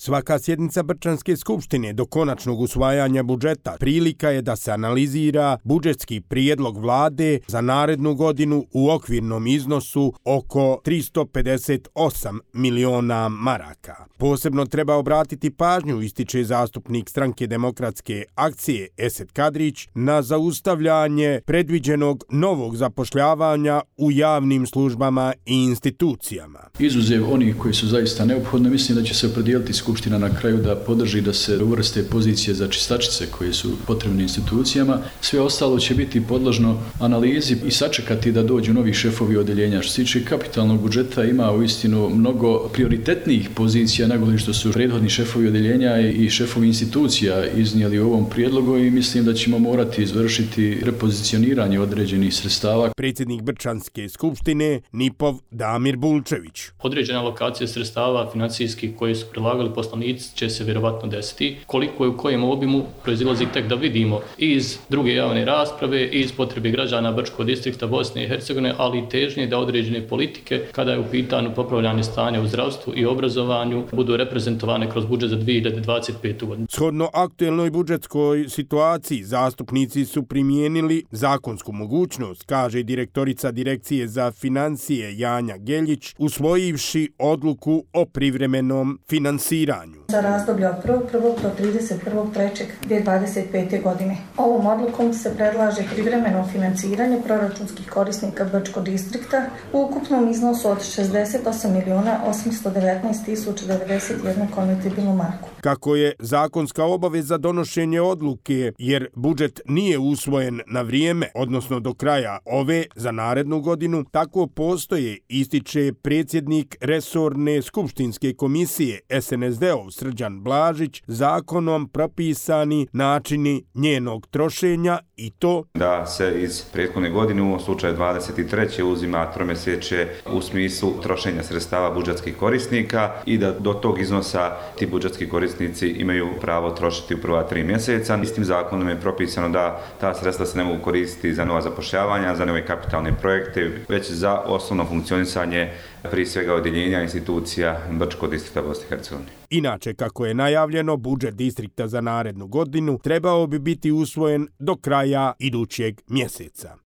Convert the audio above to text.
Svaka sjednica Brčanske skupštine do konačnog usvajanja budžeta prilika je da se analizira budžetski prijedlog vlade za narednu godinu u okvirnom iznosu oko 358 miliona maraka. Posebno treba obratiti pažnju, ističe zastupnik Stranke demokratske akcije Esed Kadrić, na zaustavljanje predviđenog novog zapošljavanja u javnim službama i institucijama. Izuzev onih koji su zaista neophodne, mislim da će se opredijeliti Skupština na kraju da podrži da se uvrste pozicije za čistačice koje su potrebne institucijama. Sve ostalo će biti podložno analizi i sačekati da dođu novi šefovi odeljenja. Što se tiče kapitalnog budžeta, ima uistinu mnogo prioritetnijih pozicija nego što su prethodni šefovi odeljenja i šefovi institucija iznijeli u ovom prijedlogu i mislim da ćemo morati izvršiti repozicioniranje određenih sredstava. Predsjednik Brčanske skupštine Nipov Damir Bulčević. Određena alokacija sredstava financijskih koje su prilagali poslanici će se vjerovatno desiti. Koliko je u kojem obimu proizilazi tek da vidimo i iz druge javne rasprave i iz potrebe građana Brčkog distrikta Bosne i Hercegovine, ali i težnje da određene politike, kada je u pitanju popravljanje stanja u zdravstvu i obrazovanju, budu reprezentovane kroz budžet za 2025. godinu. Shodno aktuelnoj budžetskoj situaciji, zastupnici su primijenili zakonsku mogućnost, kaže direktorica Direkcije za financije Janja Geljić, usvojivši odluku o privremenom finansiranju. Za razdoblje od 1.1. do 31.3.2025. godine. Ovom odlukom se predlaže privremeno finansiranje proračunskih korisnika Brčkog distrikta u ukupnom iznosu od 68.819.091 konvertibilnu marku. Kako je zakonska obaveza donošenje odluke, jer budžet nije usvojen na vrijeme, odnosno do kraja ove za narednu godinu, tako postoje, ističe predsjednik resorne skupštinske komisije SNSD-ov Srđan Blažić, zakonom propisani načini njenog trošenja i to da se iz prethodne godine, u ovom slučaju 23. uzima tromjesečje u smislu trošenja sredstava budžetskih korisnika i da do tog iznosa ti budžetski korisnici imaju pravo trošiti u prva 3 mjeseca. Istim zakonom je propisano da ta sredstva se ne mogu koristiti za nova zapošljavanja, za nove kapitalne projekte, već za osnovno funkcionisanje prije svega odjeljenja institucija Brčkog distrikta Bosne i Hercegovine. Inače, kako je najavljeno, budžet distrikta za narednu godinu trebao bi biti usvojen do kraja idućeg mjeseca.